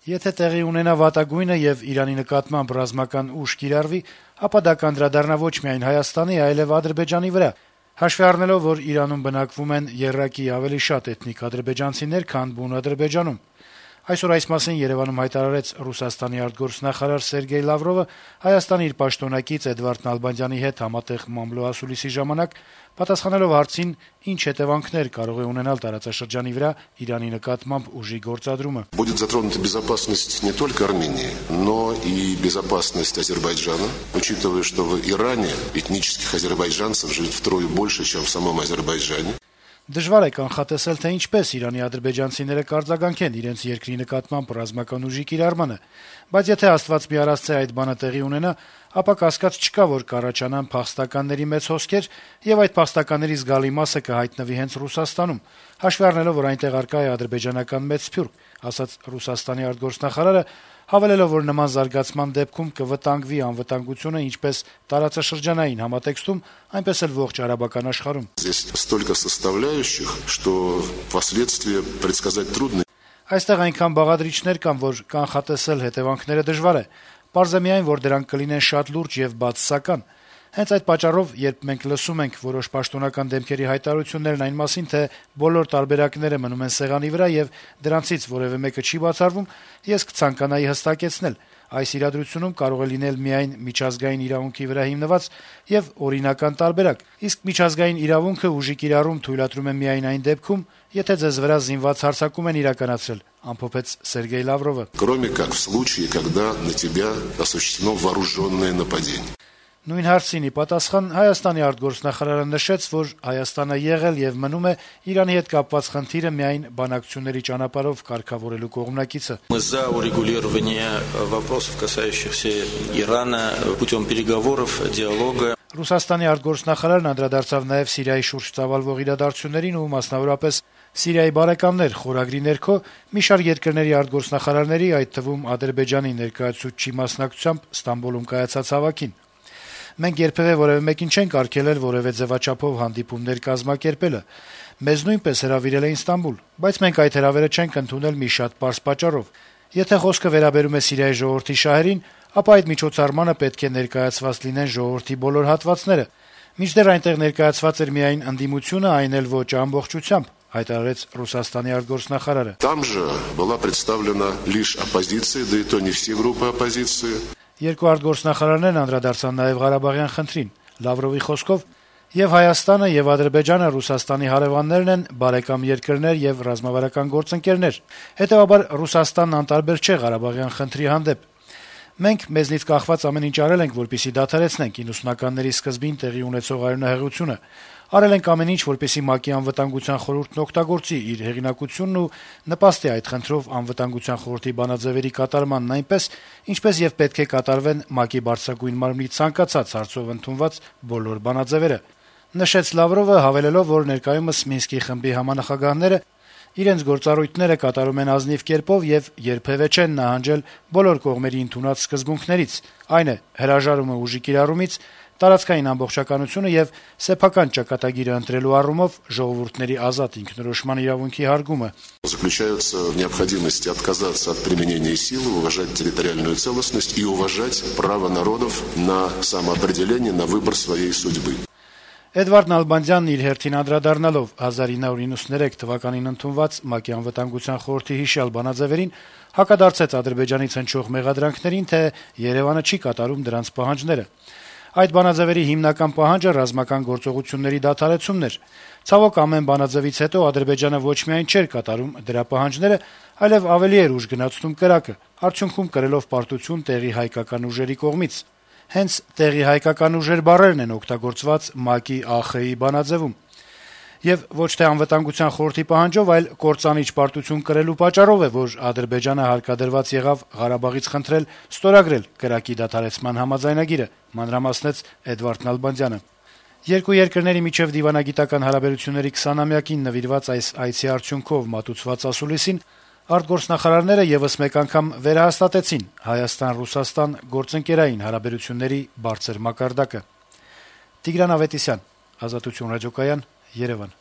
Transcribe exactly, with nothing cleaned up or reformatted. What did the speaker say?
Եթե տեղի ունենա վատագույնը եւ Իրանի նկատմամբ ռազմական ուժ կիրառվի, ապա դա կանդրադառնա ոչ միայն Հայաստանի, այլեւ Ադրբեջանի վրա, հաշվի առնելով, որ Իրանում բնակվում են եռակի ավելի շատ էթնիկ ադրբեջանցիներ, քան բուն Ադրբեջանում։ Այսօր այս մասին Երևանում հայտարարեց Ռուսաստանի արտգործնախարար Սերգեյ Լավրովը Հայաստանի իր պաշտոնակից Էդվարդ Նալբանդյանի հետ համատեղ մամլո ասուլիսի ժամանակ, պատասխանելով հարցին, ինչ հետևանքներ կարող է ունենալ տարածաշրջանի վրա Իրանի նկատմամբ ուժի գործադրումը։ Будет затронута безопасность не только Армении, но и безопасность Азербайджана, учитывая, что в Иране этнических азербайджанцев живет втрое больше, чем в самом Азербайджане. Դժվար է կանխատեսել, թե ինչպես Իրանի ադրբեջանցիները կարձագանքեն իրենց երկրի նկատմամբ ռազմական ուժի կիրառմանը, բայց եթե Աստված մի առասցե այդ բանը տեղի ունենա, ապա կասկած չկա, որ կառաջանան փախստականների մեծ հոսքեր եւ այդ փախստականների զգալի մասը կհայտնվի հենց Ռուսաստանում, հաշվի առնելով, որ այնտեղ առկա է ադրբեջանական մեծ սփյուռք, ասաց Ռուսաստանի արտգործնախարարը, հավելելով, որ նման զարգացման դեպքում կվտանգվի անվտանգությունը ինչպես տարածաշրջանային համատեքստում, այնպես էլ ողջ արաբական աշխարհում։ Здесь столько составляющих, что последствия предсказать трудно. Այստեղ այնքան բաղադրիչներ կան, որ կանխատեսել հետևանքները դժվար է։ Պարզ է միայն, որ դրանք կլինեն շատ լուրջ եւ բացասական։ Հենց այդ պատճառով, երբ մենք լսում ենք որոշ պաշտոնական դեմքերի հայտարարություններն այն մասին, թե բոլոր տարբերակները մնում են սեղանի վրա եւ դրանցից որեւէ մեկը չի բացառվում, ես կցանկանայի հստակեցնել, այս իրադրությունում կարող է լինել միայն միջազգային իրավունքի վրա հիմնված եւ օրինական տարբերակ, իսկ միջազգային իրավունքը ուժի կիրառում թույլատրում է միայն այն դեպքում, եթե ձեզ վրա զինված հարձակում են իրականացրել, ամփոփեց Սերգեյ Լավրովը։ Кроме как в случае, когда на тебя осуществлено вооруженное нападение. Նույն հարցին ի պատասխան Հայաստանի արտգործնախարարը նշեց, որ Հայաստանը եղել եւ մնում է Իրանի հետ կապված խնդիրը միայն բանակցությունների ճանապարհով կարգավորելու կողմնակիցը։ Мы за урегулирование вопросов, касающихся Ирана, путем переговоров, диалога. Ռուսաստանի արտգործնախարարն անդրադարձավ նաեւ Սիրիայի շուրջ ծավալվող իրադարձություններին ու մասնավորապես Սիրիայի բարեկամներ խորագրի ներքո մի շարք երկրների արտգործնախարարների, այդ թվում Ադրբեջանի ներկայացուցչի մասնակցությամբ Ստամբուլում կայացած հավաքին։ Մենք երբևէ որևէ մեկին չենք արգելել որևէ ձևաչափով հանդիպումներ կազմակերպելը։ Մեզ նույնպես հրավիրել էին Ստամբուլ, բայց մենք այդ հրավերը չենք ընդունել մի շատ պարզ պատճառով։ Եթե խոսքը վերաբերում է Սիրիայի ժողովրդի շահերին, ապա այդ միջոցառմանը պետք է ներկայացված լինեն ժողովրդի բոլոր հատվածները։ Մինչդեռ այնտեղ ներկայացված էր միայն ընդդիմությունը, այն էլ ոչ ամբողջությամբ, հայտարարեց Ռուսաստանի արտգործնախարարը։ Там же была представлена лишь оппозиция, да и то не все группы оппозиции. Երկու արտգործնախարարներն անդրադարձան նաեւ Ղարաբաղյան խնդրին։ Լավրովի խոսքով եւ Հայաստանը եւ Ադրբեջանը Ռուսաստանի հարևաններն են, բարեկամ երկրներ եւ ռազմավարական գործընկերներ։ Հետեւաբար Ռուսաստանն անտարբեր չէ Ղարաբաղյան խնդրի հանդեպ։ Մենք մեզնից կախված ամեն ինչ արել ենք, որպեսզի դադարեցնենք իննսունականների սկզբին տեղի ունեցող արյունահեղությունը։ Արել ենք ամեն ինչ, որպեսզի ՄԱԿ-ի անվտանգության խորհուրդն օգտագործի իր հեղինակությունն ու նպաստի այդ խնդրով անվտանգության խորհրդի բանաձևերի կատարմանն այնպես, ինչպես եւ պետք է կատարվեն ՄԱԿ-ի բարձրագույն մարմնի ցանկացած հարցով ընդունված բոլոր բանաձևերը։ Նշեց Լավրովը, հավելելով, որ ներկայումս Մինսկի խմբի համանախագահները իրենց գործառույթները կատարում են ազնիվ կերպով եւ երբեւե չեն նահանջել բոլոր կողմերի ընդունած սկզբունքներից, այն է հրաժարումը ուժի կիրառումից, տարածքային ամբողջականությունը եւ սեփական ճակատագիրը ընտրելու առումով ժողովուրդների ազատ ինքնորոշման իրավունքի հարգումը։ Заключаются в необходимости отказаться от применения силы, уважать территориальную целостность и уважать право народов на самоопределение, на выбор своей судьбы. Էդվարդ Նալբանդյանն իր հերթին անդրադառնալով հազար ինը հարյուր նվաթ թվականին ընդունված ՄԱԿ-ի անվտանգության խորհրդի հիշյալ բանաձևերին հակադարձեց Ադրբեջանից հնչող մեղադրանքներին, թե Երևանը չի կատարում դրանց պահանջները։ Այդ բանաձևերի հիմնական պահանջը ռազմական գործողությունների դադարեցումն էր։ Ցավոք ամեն բանաձևից հետո Ադրբեջանը ոչ միայն չէր կատարում դրա պահանջները, այլև ավելի էր ուժ գնացնում կրակը, արդյունքում կրելով պարտություն տեղի հայկական ուժերի կողմից։ Հենց տեղի հայկական ուժեր բառերն են օգտագործված ՄԱԿ-ի ԱԽ-ի բանաձևում։ Եվ ոչ թե անվտանգության խորհրդի պահանջով, այլ կործանիչ պարտություն կրելու պատճառով է, որ Ադրբեջանը հարկադրված եղավ Ղարաբաղից խնդրել ստորագրել կրակի դադարեցման համաձայնագիրը, մանրամասնեց Էդվարդ Նալբանդյանը։ Երկու երկրների միջև դիվանագիտական հարաբերությունների քսանամյակին նվիրված այս այցի արդյունքով մատուցված ասուլիսին արտգործնախարարները եւս մեկ անգամ վերահաստատեցին Հայաստան-Ռուսաստան գործընկերային հարաբերությունների բարձր մակարդակը։ Տիգրան Ավետիսյան, Ազատություն ռադիոկայան, Երևան։